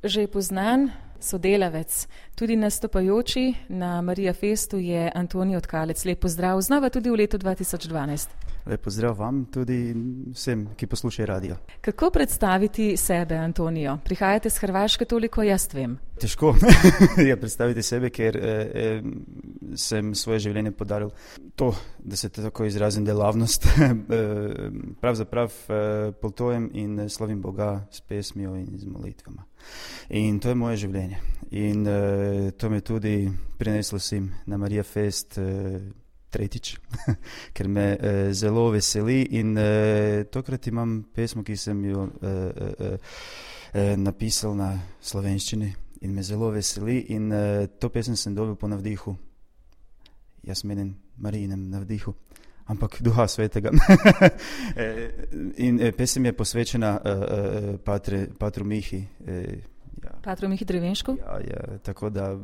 že poznan sodelavec, tudi nastopajoči na Marija Festu je Antonijo Tkalec. Lep pozdrav znova tudi v letu 2012. Lep pozdrav vam, tudi vsem, ki poslušajo radio. Kako predstaviti sebe, Antonijo? Prihajate z Hrvaške, toliko jaz vem. Težko je predstaviti sebe, ker sem svoje življenje podaril to, da se tako izrazim, delavnost. Pravzaprav potujem in slavim Boga s pesmijo in z molitvama. In to je moje življenje. In to me tudi prineslo sem na Marija Fest tretjič, ker me zelo veseli in tokrat imam pesmo, ki sem jo napisal na slovenščini in me zelo veseli in to pesem sem dobil po navdihu. Jaz menim Marijinem navdihu, ampak Duha Svetega. In pesem je posvečena patru Mihi. Patru Mihi Drevenšku? Ja, tako da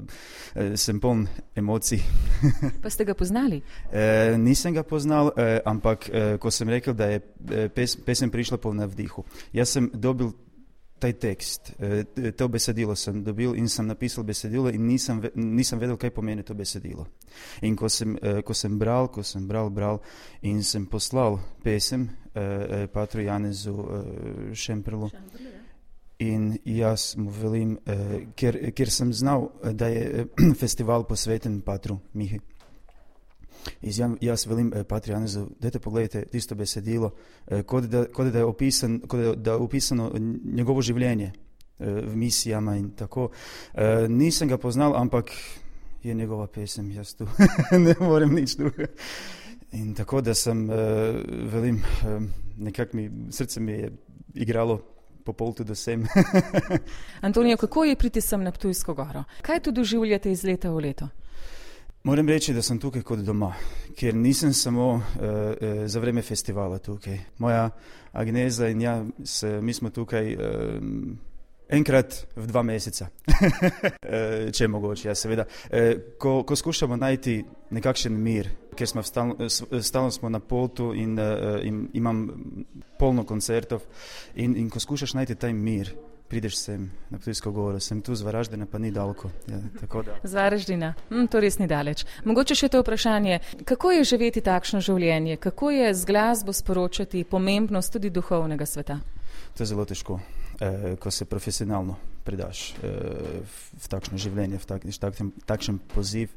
sem poln emocij. Pa ste ga poznali? Nisem ga poznal, ampak ko sem rekel, da je pesem prišla po navdihu. Jaz sem dobil taj tekst, to besedilo sem dobil in sem napisal besedilo in nisem vedel, kaj pomeni to besedilo. In ko sem bral in sem poslal pesem patru Janezu Šemperlu, in jaz mu velim, ker sem znal, da je festival posveten patru Mihi. Jaz velim patru Janezu, dajte pogledajte tisto besedilo, kot da je opisano njegovo življenje v misijama in tako. Nisem ga poznal, ampak je njegova pesem, jaz tu ne morem nič druga. In tako da sem, velim, nekako srce mi je igralo po poltu do sem. Antonijo, kako je priti sem na Ptujsko goro? Kaj tu doživljate iz leta v leto? Moram reči, da sem tukaj kot doma, ker nisem samo za vreme festivala tukaj. Moja Agneza in mi smo tukaj enkrat v 2 meseca. Če je mogoče, ja, seveda. Ko skušamo najti nekakšen mir, ker stalno smo na potu in imam polno koncertov in ko skušaš najti taj mir, prideš sem na Ptujsko goro, sem tu z Varaždina, pa ni daleko. Ja, tako da. Z Varaždina, to res ni daleč. Mogoče še to vprašanje, kako je živeti takšno življenje, kako je z glasbo sporočati pomembnost tudi duhovnega sveta? To je zelo težko, ko se profesionalno predaš v takšno življenje, v takšen poziv,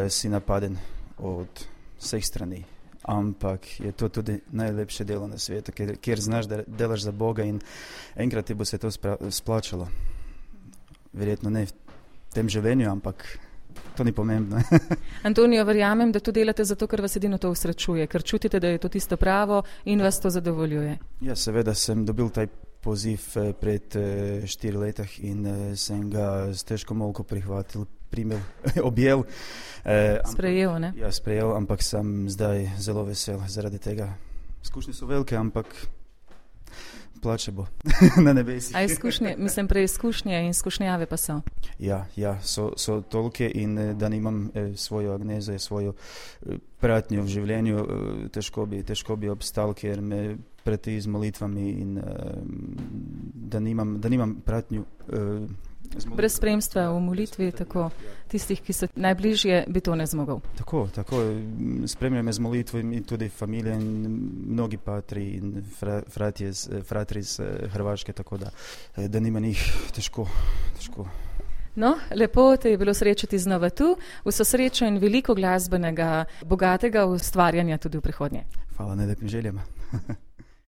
si napaden od vseh strani. Ampak je to tudi najlepše delo na svetu, kjer znaš, da delaš za Boga in enkrat ti bo se to splačalo. Verjetno ne v tem življenju, ampak to ni pomembno. Antonijo, verjamem, da to delate zato, ker vas edino to usrečuje, ker čutite, da je to tisto pravo in vas to zadovoljuje. Ja, seveda sem dobil taj poziv pred 4 letih in sem ga s težko molko prihvatil, objel. Sprejel, ne? Ja, sprejel, ampak sem zdaj zelo vesel zaradi tega. Izkušnje so velike, ampak plače bo na nebesih. A izkušnje, mislim preizkušnje in izkušnjave pa so? Ja, so tolke in da nimam svojo Agnezo, svojo pratnjo v življenju, težko bi obstal, ker me preti z molitvami in da nimam pratnju brez spremstva v molitvi, tako tistih, ki so najbližje, bi to ne zmogel. Tako, spremljajo me z molitvami tudi familija in mnogi patri in fratri iz Hrvaške, tako da nima njih težko. No, lepo te je bilo srečati znova tu, vso srečo in veliko glasbenega, bogatega ustvarjanja tudi v prihodnje. Hvala, najlepšim željama.